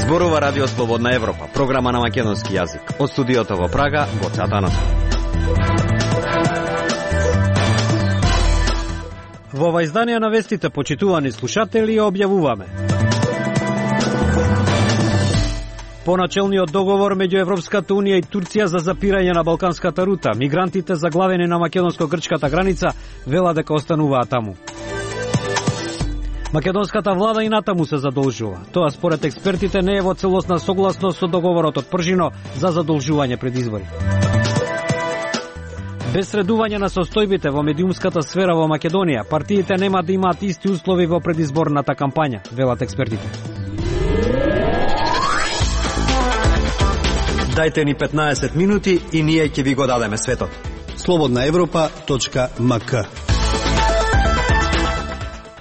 Зборува Радио Слободна Европа, програма на македонски јазик. Од студиото во Прага, Гоце Атанасов. Во ова издание на вестите, почитувани слушатели, објавуваме: поначалниот договор меѓу Европската унија и Турција за запирање на балканската рута. Мигрантите заглавени на македонско-грчката граница велат дека остануваат таму. Македонската влада и натаму се задолжува. Тоа според експертите не е во целосна согласност со договорот од Пржино за задолжување пред избори. Без средување на состојбите во медиумската сфера во Македонија, партиите нема да имаат исти услови во предизборната кампања, велат експертите. Дајте ни 15 минути и ние ќе ви го дадеме светот. slobodnaevropa.mk.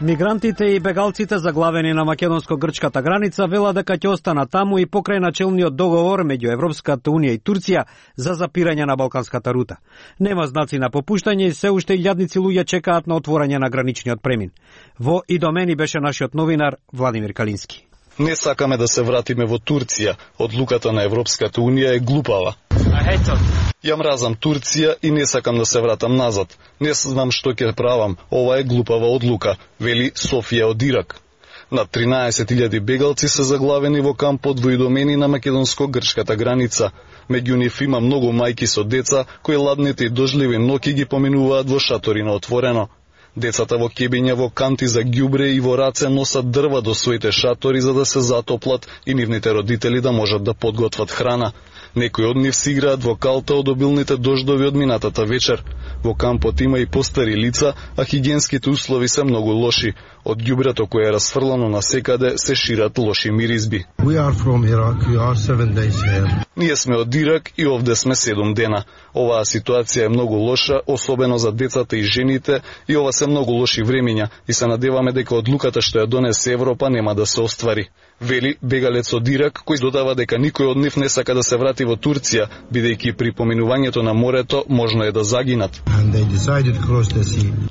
Мигрантите и бегалците заглавени на македонско-грчката граница велат дека ќе останат таму и покрај начелниот договор меѓу Европската унија и Турција за запирање на балканската рута. Нема знаци на попуштање и се уште илјадници луѓе чекаат на отворање на граничниот премин. Во и до мене беше нашиот новинар Владимир Калински. Не сакаме да се вратиме во Турција. Одлуката на Европската унија е глупава. Ја мразам Турција и не сакам да се вратам назад. Не знам што ќе правам. Ова е глупава одлука, вели Софија од Ирак. Над 13.000 бегалци се заглавени во кампот во Идомени на македонско-грчката граница. Меѓу нив има многу мајки со деца кои ладните и дожливи ноќи ги поминуваат во шатори на отворено. Децата во кебиња, во канти за ѓубре и во раце носат дрва до своите шатори за да се затоплат и нивните родители да можат да подготват храна. Некои од нив си играат во калта од обилните дождови од минатата вечер. Во кампот има и постари лица, а хигиенските услови се многу лоши. Од ѓубрето кое е расфрлано насекаде се шират лоши миризби. Ние сме од Ирак и овде сме 7 дена. Оваа ситуација е многу лоша, особено за децата и жените, и ова се многу лоши времиња и се надеваме дека одлуката што ја донесе Европа нема да се оствари. Вели бегалец од Ирак, кој додава дека никој од нив не сака да се врати во Турција, бидејќи при поминувањето на морето можно е да загинат.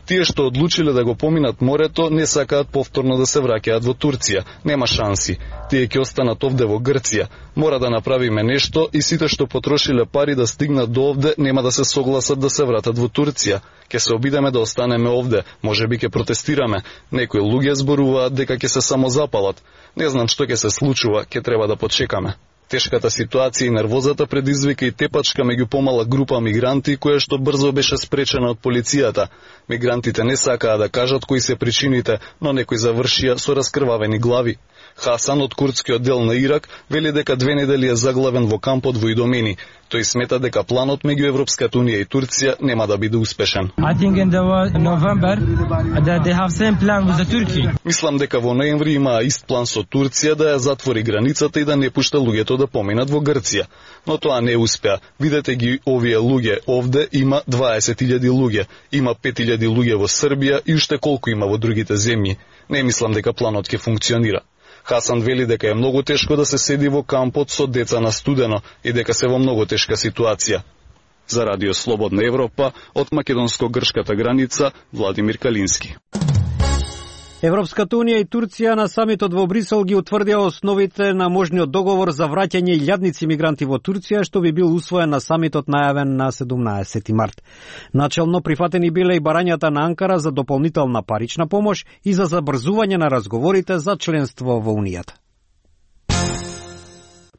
Тие што одлучиле да го поминат морето не сакаат повторно да се враќаат во Турција. Нема шанси. Тие ќе останат овде во Грција. Мора да направиме нешто и сите што потрошиле пари да стигнат до овде нема да се согласат да се вратат во Турција. Ќе се обидеме да останеме овде, можеби ќе протестираме. Некои луѓе зборуваат дека ќе се самозапалат. Не знам што ќе се случува, ќе треба да почекаме. Тешката ситуација и нервозата предизвика и тепачка меѓу помала група мигранти, која што брзо беше спречена од полицијата. Мигрантите не сакаа да кажат кои се причините, но некои завршија со раскрвавени глави. Хасан од курдскиот дел на Ирак вели дека 2 недели е заглавен во кампот во Идомени. Тој смета дека планот меѓу Европската унија и Турција нема да биде успешен. Мислам дека во ноември имаа ист план со Турција да ја затвори границата и да не пушта луѓето да поминат во Грција. Но тоа не успеа. Видете ги овие луѓе. Овде има 20.000 луѓе. Има 5.000 луѓе во Србија и уште колку има во другите земји. Не мислам дека планот ќе функционира. Хасан вели дека е многу тешко да се седи во кампот со деца на студено и дека се во многу тешка ситуација. За Радио Слободна Европа, од македонско-грчката граница, Владимир Калински. Европската унија и Турција на самитот во Брисел ги утврдија основите на можниот договор за враќање илјадници мигранти во Турција, што би бил усвоен на самитот најавен на 17 март. Начелно прифатени биле и барањата на Анкара за дополнителна парична помош и за забрзување на разговорите за членство во Унијата.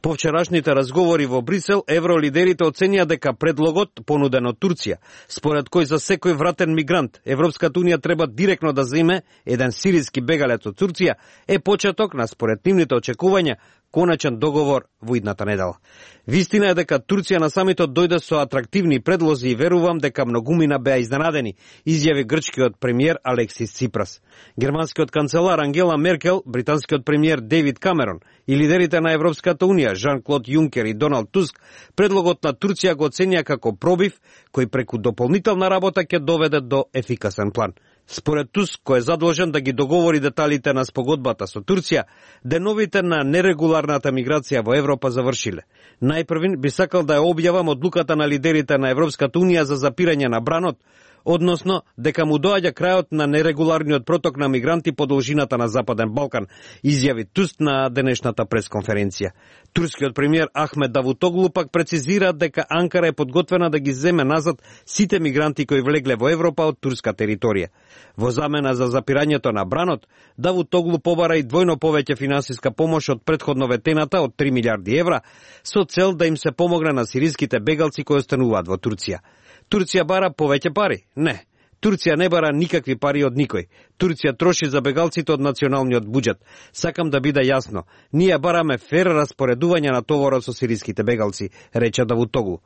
По вчерашните разговори во Брисел, евролидерите оценија дека предлогот понуден од Турција, според кој за секој вратен мигрант Европската унија треба директно да земе еден сириски бегалец од Турција, е почеток на според нивните очекувања коначен договор во идната недела. Вистина е дека Турција на самитот дојде со атрактивни предлози и верувам дека многумина беа изненадени, изјави грчкиот премиер Алексис Ципрас. Германскиот канцелар Ангела Меркел, британскиот премиер Дейвид Камерон и лидерите на Европската унија Жан-Клод Јункер и Доналд Туск предлогот на Турција го оценија како пробив кој преку дополнителна работа ќе доведе до ефикасен план. Според Туск, кој е задолжен да ги договори деталите на спогодбата со Турција, деновите на нерегуларната миграција во Европа завршиле. Најпрвин би сакал да ја објавам одлуката на лидерите на Европската унија за запирање на бранот односно дека му доаѓа крајот на нерегуларниот проток на мигранти по должината на Западен Балкан, изјави Туст на денешната пресконференција. Турскиот премиер Ахмед Давутоглу пак прецизира дека Анкара е подготвена да ги земе назад сите мигранти кои влегле во Европа од турска територија. Во замена за запирањето на бранот, Давутоглу побара и двојно повеќе финансиска помош од претходно ветената од 3 милиарди евра, со цел да им се помогне на сириските бегалци кои остануваат во Турција. Турција бара повеќе пари? Не. Турција не бара никакви пари од никој. Турција троши за бегалците од националниот буџет. Сакам да биде јасно. Ние бараме фер распоредување на товарот со сириските бегалци, рече Давутоглу.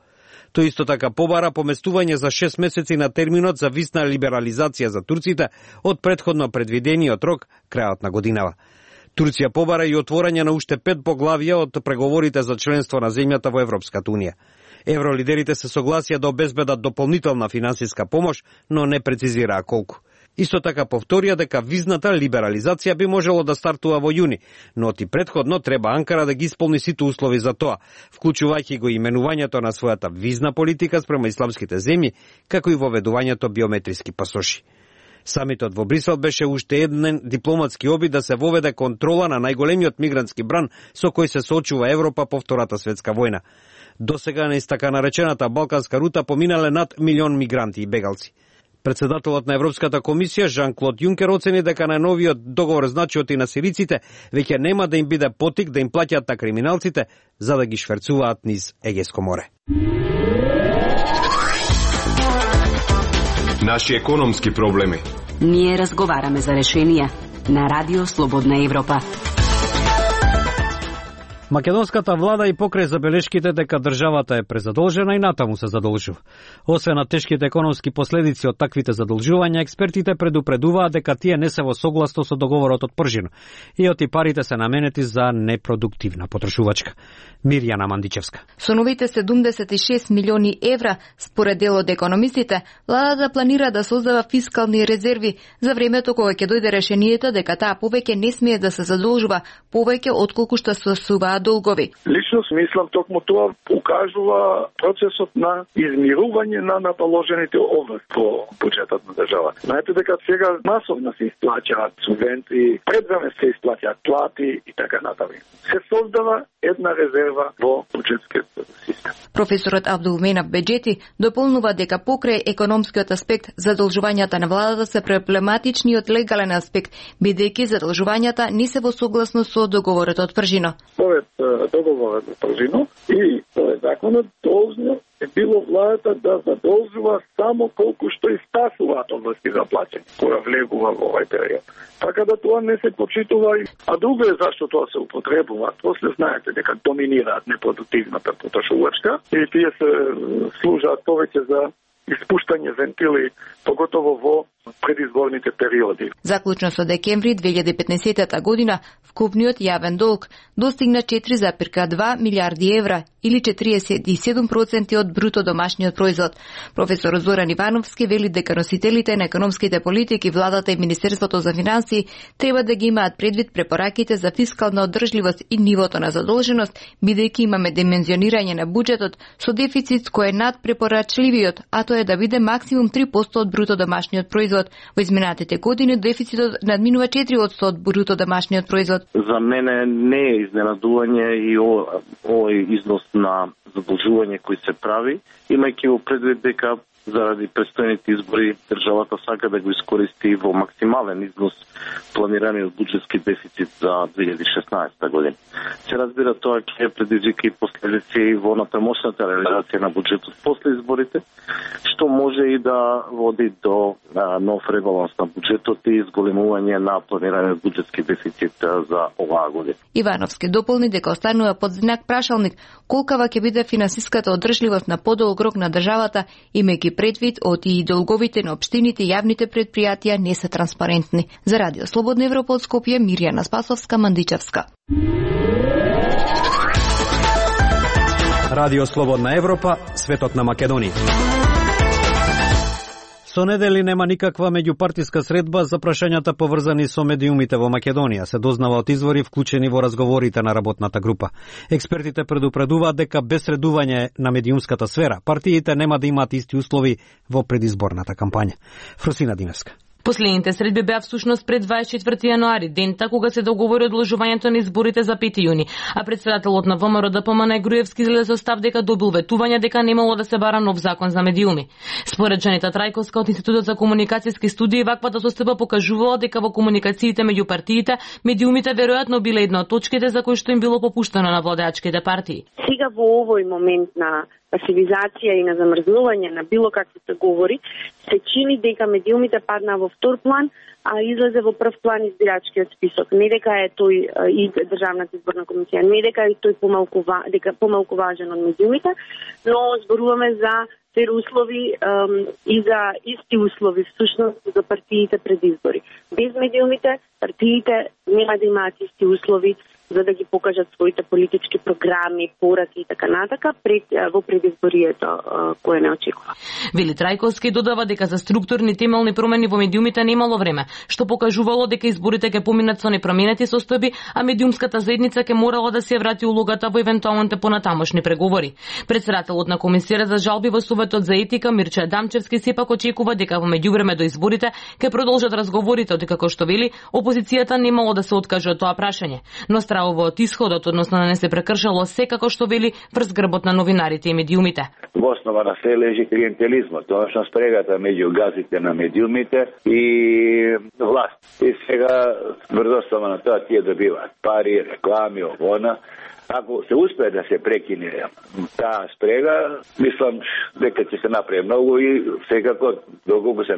Тој исто така побара поместување за 6 месеци на терминот за висна либерализација за турците од претходно предвидениот рок крајот на годинава. Турција побара и отворање на уште 5 поглавја од преговорите за членство на земјата во Европската унија. Евролидерите се согласија да обезбедат дополнителна финансиска помош, но не прецизираа колку. Исто така повторија дека визната либерализација би можело да стартува во јуни, но ти претходно треба Анкара да ги исполни сите услови за тоа, вклучувајќи го именувањето на својата визна политика спрема исламските земји, како и воведувањето биометриски пасоши. Самитот во Брисел беше уште еден дипломатски обид да се воведе контрола на најголемиот мигрантски бран со кој се соочува Европа по Втората светска војна. Досега на така наречената Балканска рута поминале над 1 милион мигранти и бегалци. Председателот на Европската комисија Жан-Клод Јункер оцени дека на новиот договор значиот и на сириците веќе нема да им биде потик да им плаќаат на криминалците за да ги шверцуваат низ Егејско море. Наши економски проблеми. Ние разговараме за решенија на Радио Слободна Европа. Македонската влада и покрај забелешките дека државата е презадолжена и натаму се задолжува. Освен на тешките економски последици од таквите задолжувања, експертите предупредуваат дека тие не се во согласно со договорот од Пржино и оти парите се наменети за непродуктивна потрошувачка. Мирјана Мандичевска. Со новите 76 милиони евра, според дел од економистите, владата планира да создава фискални резерви за времето кога ќе дојде решението дека таа повеќе не смее да се задолжува повеќе отколку што се суваат долгови. Лично смислам токму тоа укажува процесот на измирување на наположените области по буџетот на држава. Знаете дека сега масовно се исплаќаат субвенции, пред време се исплаќаат плати и така натаму. Се создава една резерва во буџетскиот систем. Професорот Абдулменав Беџети дополнува дека покрај економскиот аспект задолжувањата на владата се проблематични од легален аспект, бидејќи задолжувањата не се во согласно со договорот од Пржино. Според договорот од Пржино и според законот должно е било владата да задолжува само колку што испасуваат области за плаќање, кога влегува во овој период. Така да тоа не се почитува, а друго е зашто тоа се употребува. После знаете дека доминираат непродуктивната потрошувачка и тие се служат повеќе за испуштање вентили, поготово во предизборните периоди. Заклучно со декември 2015 година, вкупниот јавен долг достигна 4,2 милиарди евра или 47% од бруто домашниот производ. Професор Зоран Ивановски вели дека носителите на економските политики, владата и Министерството за финансии треба да ги имаат предвид препораките за фискална одржливост и нивото на задолженост, бидејќи имаме димензионирање на буџетот со дефицит кој е над препорачливиот, а тоа е да биде максимум 3% од бруто домашниот производ. Во изминатите години дефицитот надминува 4% од бруто домашниот производ. За мене не е изненадување и овој износ на задолжување кој се прави, имајќи во предвид дека заради престојните избори државата сака да го искористи во максимален износ планираниот буџетски дефицит за 2016 година. Се разбира тоа ќе предизвика и последици во натамошната реализација на буџетот после изборите, што може и да води до нов ребаланс на буџетот и изголемување на планираниот буџетски дефицит за оваа година. Ивановски дополни дека останува под знак прашалник колкава ќе биде финансиската одржливост на подолг рок на државата, имајќи предвид од и долговите на општините и јавните предпријатија не се транспарентни. За Радио Слободна Европа од Скопје, Мирјана Спасовска, Мандичевска. Радио Слободна Европа, светот на Македонија. Со недели нема никаква меѓупартиска средба за прашањата поврзани со медиумите во Македонија, се дознава од извори вклучени во разговорите на работната група. Експертите предупредуваат дека без средување на медиумската сфера, партиите нема да имаат исти услови во предизборната кампања. Фросина Димевска. Последните средби беа всушност пред 24 јануари, дента кога се договори одложувањето на изборите за 5 јуни, а председателот на ВМРО ДПМН Груевски излезе со став дека добил ветување дека немало да се бара нов закон за медиуми. Според Джанита Трајковска од Институтот за комуникацијски студии, ваквата состојба покажувала дека во комуникациите меѓу партиите, медиумите веројатно биле една од точките за кои што им било попуштено на владеачките партии. Сега во овој момент на пасивизација и на замрзнување на било какви говори, се чини дека медиумите паднаа во втор план, а излезе во прв план избирачкиот список. Не дека е тој и Државната изборна комисија, не дека е тој помалку важен од медиумите, но зборуваме за фер услови и за исти услови всушност за партиите пред избори. Без медиумите партиите нема да имаат исти услови за да ги покажат своите политички програми, пораки и така натака во предизборието кое не очекува. Вели Трајковски додава дека за структурни темелни промени во медиумите немало време, што покажувало дека изборите ќе поминат со непроменети состојби, а медиумската заедница ќе морала да се врати улогата во евентуалните понатамошни преговори. Председателот на Комисијата за жалби во Советот за етика Мирча Дамчевски сепак очекува дека во меѓувреме до изборите ќе продолжат разговорите, од како што вели опозицијата немало да се откаже од тоа прашање, но од исходот, односно да не се прекршало секако што вели врз грбот на новинарите и медиумите. Во основа на се лежи клиентелизмот, односно спрегата меѓу газите на медиумите и власт. И сега врз основа на тоа тие добиваат пари, реклами, овона. Ако се успее да се прекине таа спрега, мислам дека ќе се направи многу и секако доколку се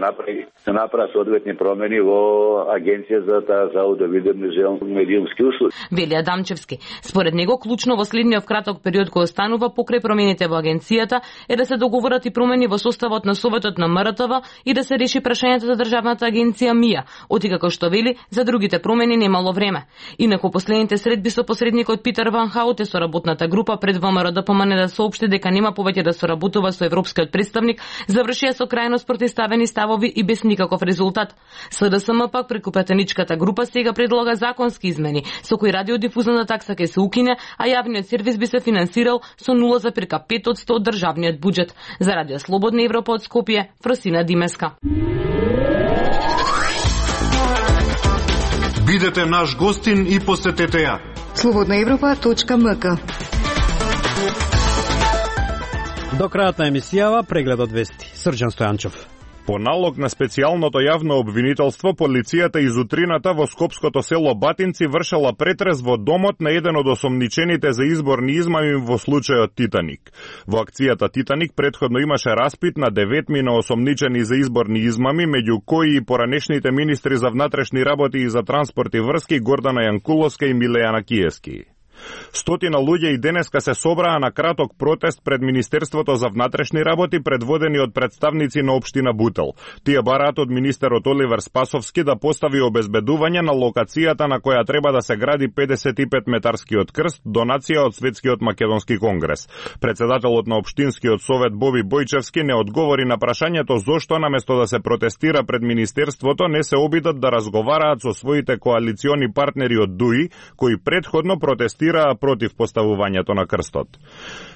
направат соодветни промени во Агенција за аудиовидуелни медиумски услуги. Вели Адамчевски. Според него клучно во следниот краток период кој останува покрај промените во агенцијата е да се договорат и промени во составот на Советот на МРТВ и да се реши прашањето за Државната агенција МИА, оти како што вели за другите промени немало време. Инаку последните средби со посредникот Питер Ван Хауте со работната група пред ВМРО ДПМН да соопшти дека нема повеќе да соработува со европскиот представник, завршија со крајно спротивставени ставови и без никаков резултат. СДСМ пак преку претеничката група сега предлага законски измени, со кои радиодифузната такса ќе се укине, а јавниот сервис би се финансирал со 0,5% од државниот буџет. За Радио Слободна Европа од Скопје, Фросина Димеска. Бидете наш гостин и посетете ја. slobodnaevropa.mk. До крајот на емисијава преглед од вести. Срđan Стојанчов. По налог на специјалното јавно обвинителство, полицијата изутрината во скопското село Батинци вршела претрес во домот на еден од осомничените за изборни измами во случајот Титаник. Во акцијата Титаник претходно имаше распит на 9 осомничени за изборни измами, меѓу кои и поранешните министри за внатрешни работи и за транспорт и врски Гордана Јанкуловска и Милејана Киески. Стотина луѓе и денеска се собраа на краток протест пред Министерството за внатрешни работи, предводени од представници на општина Бутел. Тие бараат од министерот Оливер Спасовски да постави обезбедување на локацијата на која треба да се гради 55-метарскиот крст, донација од Светскиот македонски конгрес. Председателот на општинскиот совет Боби Бојчевски не одговори на прашањето зошто наместо да се протестира пред министерството не се обидат да разговараат со своите коалициони партнери од ДУИ, кои претходно протестираат против поставувањето на крстот.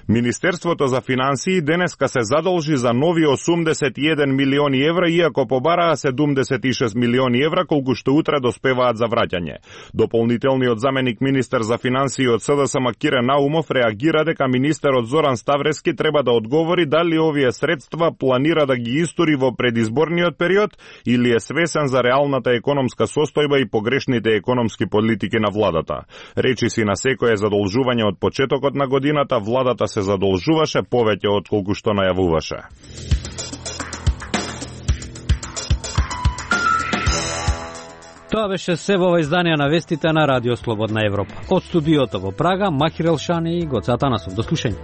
Министерството за финансии денеска се задолжи за нови 81 милиони евра, иако побараа 76 милиони евра, колку што утре доспеваат за враќање. Дополнителниот заменик министер за финансии од СДСМ Кирен Наумов реагира дека министерот Зоран Ставрески треба да одговори дали овие средства планира да ги истори во предизборниот период или е свесен за реалната економска состојба и погрешните економски политики на владата. Речиси на секое задолжување од почетокот на годината, владата се задолжуваше повеќе од колку што најавуваше. Тоа беше се во издание на вестите на Радио Слободна Европа. Од студиото во Прага, Махир Елшани и Гоце Атанасов. До слушање.